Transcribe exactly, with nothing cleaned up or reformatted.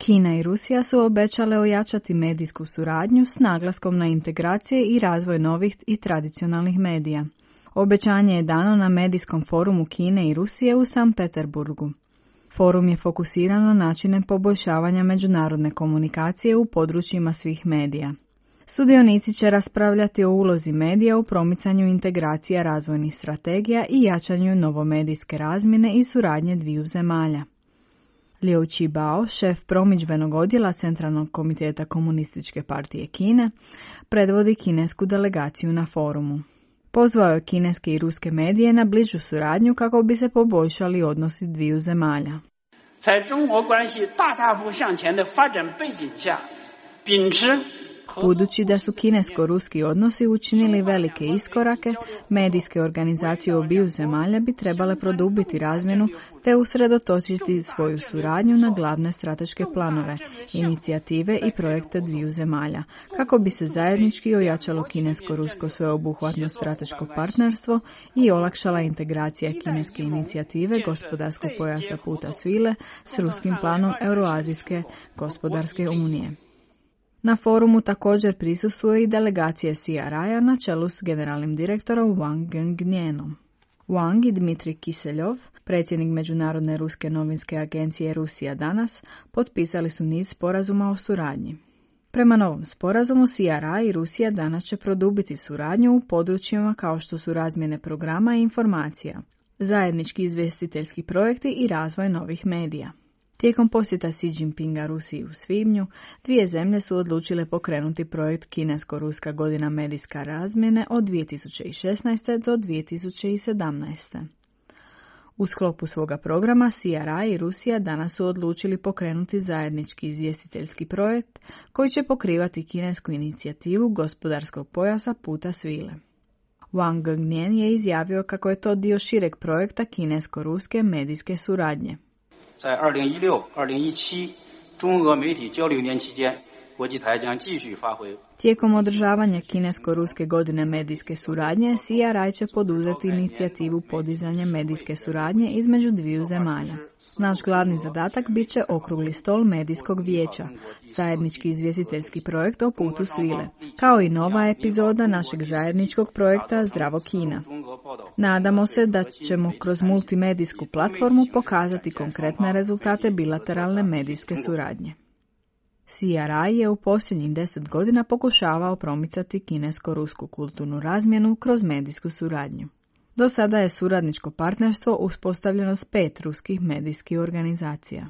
Kina i Rusija su obećale ojačati medijsku suradnju s naglaskom na integracije i razvoj novih i tradicionalnih medija. Obećanje je dano na medijskom forumu Kine i Rusije u Sankt Peterburgu. Forum je fokusiran na načine poboljšavanja međunarodne komunikacije u područjima svih medija. Sudionici će raspravljati o ulozi medija u promicanju integracija razvojnih strategija i jačanju novomedijske razmjene i suradnje dviju zemalja. Liu Qibao, šef promidžbenog odjela Centralnog komiteta Komunističke partije Kine, predvodi kinesku delegaciju na forumu. Pozvao je kineske i ruske medije na bližu suradnju kako bi se poboljšali odnosi dviju zemalja. Budući da su kinesko-ruski odnosi učinili velike iskorake, medijske organizacije obiju zemalja bi trebale produbiti razmjenu te usredotočiti svoju suradnju na glavne strateške planove, inicijative i projekte dviju zemalja, kako bi se zajednički ojačalo kinesko-rusko sveobuhvatno strateško partnerstvo i olakšala integracija kineske inicijative gospodarskog pojasa puta svile s ruskim planom Euroazijske gospodarske unije. Na forumu također prisustvuje i delegacije C R I-a na čelu s generalnim direktorom Wang Gengnjenom. Wang i Dmitrij Kiseljov, predsjednik Međunarodne ruske novinske agencije Rusija danas, potpisali su niz sporazuma o suradnji. Prema novom sporazumu C R I i Rusija danas će produbiti suradnju u područjima kao što su razmjene programa i informacija, zajednički izvjestiteljski projekti i razvoj novih medija. Tijekom posjeta Xi Jinpinga Rusiji u svibnju, dvije zemlje su odlučile pokrenuti projekt Kinesko-ruska godina medijska razmjene od dvije tisuće šesnaeste. do dvije tisuće sedamnaeste. U sklopu svoga programa C R I i Rusija danas su odlučili pokrenuti zajednički izvjestiteljski projekt koji će pokrivati kinesku inicijativu gospodarskog pojasa puta svile. Wang Gengnjen je izjavio kako je to dio šireg projekta kinesko-ruske medijske suradnje. 在二零一六、二零一七中俄媒体交流年期间，国际台将继续发挥 Tijekom održavanja kinesko-ruske godine medijske suradnje, C R I će poduzeti inicijativu podizanja medijske suradnje između dviju zemalja. Naš glavni zadatak bit će okrugli stol medijskog vijeća, zajednički izvjestiteljski projekt o putu svile, kao i nova epizoda našeg zajedničkog projekta Zdravo Kina. Nadamo se da ćemo kroz multimedijsku platformu pokazati konkretne rezultate bilateralne medijske suradnje. C R I je u posljednjih deset godina pokušavao promicati kinesko-rusku kulturnu razmjenu kroz medijsku suradnju. Do sada je suradničko partnerstvo uspostavljeno s pet ruskih medijskih organizacija.